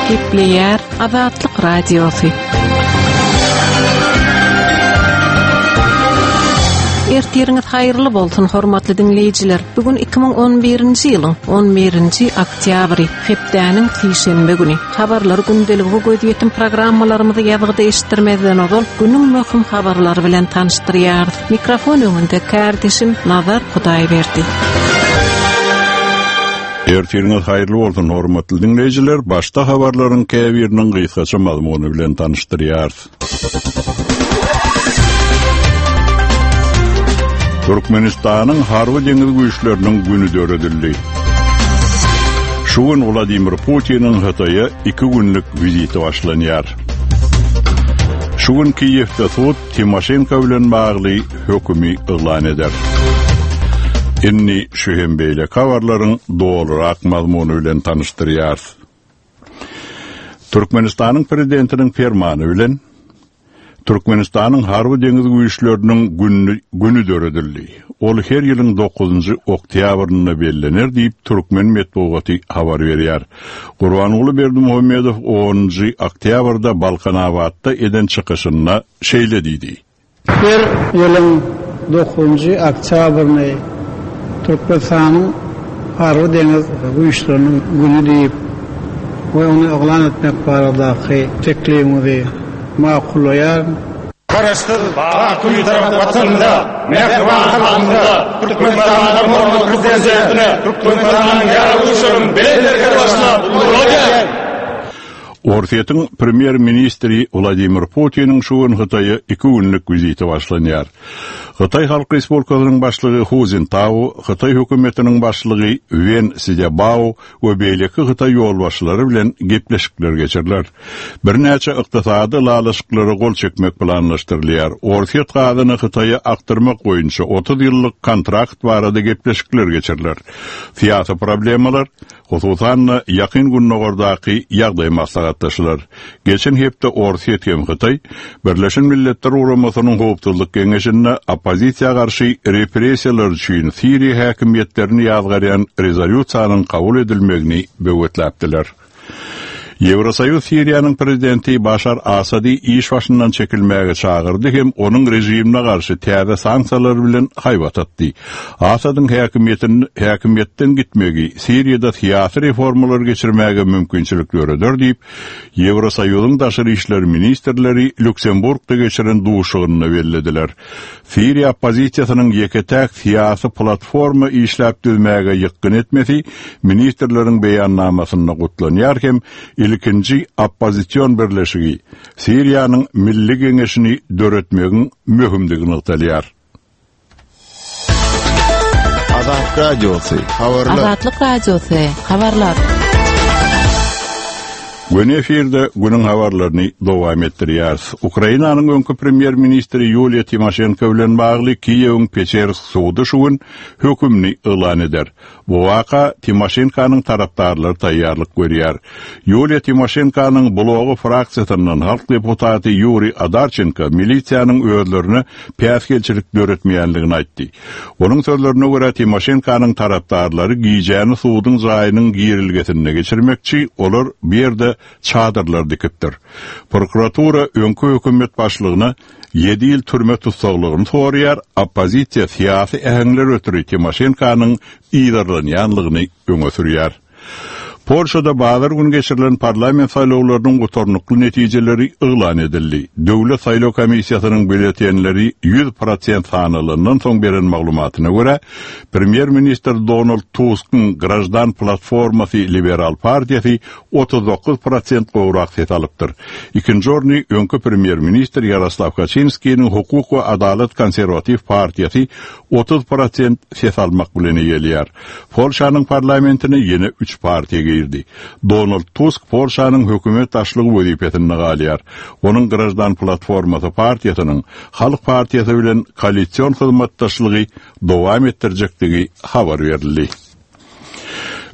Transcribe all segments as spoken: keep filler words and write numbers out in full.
Gepleýär Azatlyk Radiosy. Ertiriňiz haýyrly bolsun, hormatly diňleýjiler. Bugün iki müň on birinji ýylyň on birinji oktýabry, hepdäniň sişenbe güni. Habarlar gündeligi gözýetim programmalarymyzy ýazgyda eşitdirmezden ozal günüň möhüm habarlary bilen tanyşdyrýarys. Mikrofon öňünde kardeşim Nazar Hudaýberdi. Ertiriňiz haýyrly bolsun, hormatly diňleýjiler. Başda habarlaryň käbiriniň gysgaça mazmuny bilen tanyşdyrýarys. Türkmenistanyň Harby deňiz güýçleriniň güni döredildi. Şu gün Wladimir Putiniň Hytaýa iki günlük wiziti başlanýar. Şu gün Kiýewde sud Timoşenko bilen bagly hökümi yglan eder. Indi şu hem beýle habarlaryň dolurak mazmuny bilen tanyşdyrýarys. Türkmenistanyň prezidentiniň fermany bilen Türkmenistanyň Harby deňiz güýçleriniň günü, günü döredildi. Ol her ýylyň dokuzynjy oktýabrynda bellener diýip Türkmen metbugaty habar berýär. Gurbanguly Berdimuhamedow onunjy oktýabrda Balkanabatda eden çykyşynda şeýle diýdi. Her ýylyň dokuzynjy oktýabryny Türkmenistanyň Harby deňiz güýçleriniň günü diýip we ony yglan etmek baradaky teklibimizi makullaýar. Garaşsyz, baky tarap watanynda, mähriban halkymyza, Türkmenistanyň hormatly prezidentine, Türkmenistanyň ýaragly güýçleriniň belent başyna gurulýar. Orsýetiň premýer-ministri Wladimir Putiniň şu gün Hytaýa iki günlük wiziti başlanýar. Hytaý Halk Respublikasynyň başlygy Hu Jintao, Hytaý hökümetiniň başlygy Wen Sziabao we beýleki Hytaý ýolbaşçylary bilen gepleşikler geçiriler. Birnäçe ykdysady lalaşyklara gol çekmek planlaşdyrylýar. Orsýet gazyny Hytaýa akdyrmak boýunça otuz ýyllyk kontrakt barada gepleşikler geçiriler. Syýasy problemalar, hususan-da ýakyn Gündogardaky ýagdaý maslahatlaşylar. Geçen hepde Orsýet hem Hytaý Birleşen Milletler Guramasynyň Howpsuzlyk Geňeşinde oppozisiýa garşy repressiýalar üçin Siriýa häkimiýetlerini ýazgarýan rezolýusiýanyň kabul edilmegini böwetläpdiler. Ýewrosoýuz Siriýanyň prezidenti Başar Asady iş başyndan çekilmäge çagyrdy hem onuň rejimine garşy täze sanksiýalar bilen haýbat atdy. Asadyň häkimiýetin, häkimiýetden gitmegi Siriýada syýasy reformalar geçirmäge mümkinçilik döreder diýip, Ýewrosoýuzyň daşary işler ministrleri Lüksemburgda geçiren duşuşygynda bellediler. Siriýa oppozisiýasynyň ýeke-täk syýasy platforma işläp düzmäge ýykgyn etmesi ministrleriň beýannamasynda gutlanýar hem ilkinji oppozision birleşigi Siriýanyň Milli Geňeşini döretmegiň möhümdigini nygtalýar. Azatlyk Radiosy, habarlar. Azatlyk Radiosy, habarlar. Gün efirde günüň habarlaryny dowam etdirýäris. Ukrainanyň öňki premýer-ministri Ýuliýa Timoşenko bilen bagly Kiýewiň Peçersk sudy şu gün hökümini yglan eder. Bu waka Timoşenkonyň tarapdarlary taýýarlyk görýär. Ýuliýa Timoşenkonyň blogy fraksiýasyndan halk deputaty Ýuri Adarçenko milisiýanyň özlerine päsgelçilik döretmeýänligini aýtdy. Onuň sözlerine görä Timoşenkonyň tarapdarlary gijäni suduň jaýynyň girilgesinde geçirmekçi, olar bu ýerde çadyrlar dikipdir. Prokuratura öňki hökümet başlygyna ýedi ýyl türme tussaglygyny soraýar, oppozisiýa syýasy äheňler ötri Timoşenkonyň yzarlanýanlygyny öňe sürýär. Polşada bazar gün geçirilen parlament saýlawlarynyň gutarnykly netijeleri yglan edildi. Döwlet saýlaw komissiýasynyň býulletenleri ýüz prosent sanalandan soň beren maglumatyna görä, premýer-ministr Donald Tuskyň Grajdan platformasy Liberal partiýasy otuz dokuz prosent gowrak ses alypdyr. Ikinji orny öňki premýer-ministr Ýaroslaw Kaçinskiniň Hukuk we Adalat konserwatiw partiýasy otuz prosent ses almak bilen eýelýär. Polşanyň parlamentine ýene üç partiýa girdi. Donald Tusk Polşanyň hökümet başlygy wezipesinde galýar. Onuň Grajdan platformasy partiýasynyň Halk partiýasy bilen koalision hyzmatdaşlygy dowam etdirjekdigi habar berildi.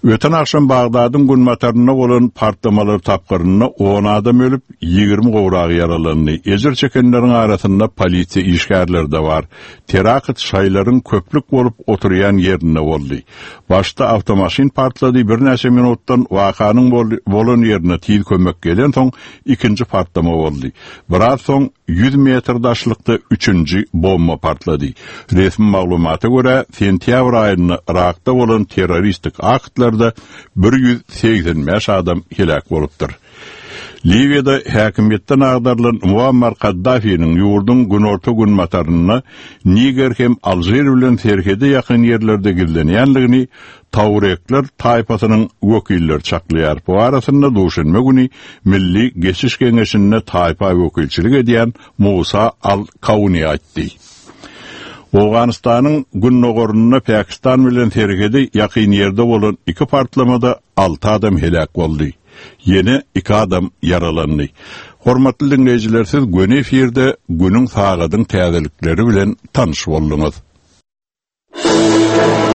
Öten akşam Bagdadyň günbatarynda bolan partlamalar tapgyrynda on adam ölüp, ýigrimi gowragy ýaralandy. Ejir çekenleriň arasynda polisiýa işgärleri de bar. Terakt şaýlaryň köplük bolup oturýan ýerinde boldy. Başda awtomaşyn partlady, birnäçe minutdan wakanyň bolan ýerine tiz kömek gelen soň ikinji partlama boldy. Biraz soň ýüz metr daşlykda üçünji bomba partlady. Resmi maglumata görä, sentýabr aýynda Irakda bolan terroristik aktlarda bir ýüz segsen bäş adam helak bolupdyr. Liwiýada häkimiýetden agdarylan Muammar Kaddafiniň ýurduň günorta günbatarynda Niger hem Alžir bilen serhede ýakyn ýerlerde gizlenýänligini Taurekler taýpasynyň wekilleri çaklaýar. Bu arasynda duşenbe güni Milli Geçiş Geňeşinde taýpa wekilçilik edýän Musa Al-Kauni aýtdy. Owganystanyň gündogarynda Pakistan bilen serhede ýakyn ýerde bolan iki partlamada alty adam helak boldy. Ýene iki adam ýaralandy. Hormatly dinleýjiler, siz göni efirde günüň sagadyň täzelikleri bilen tanyş bolduňyz.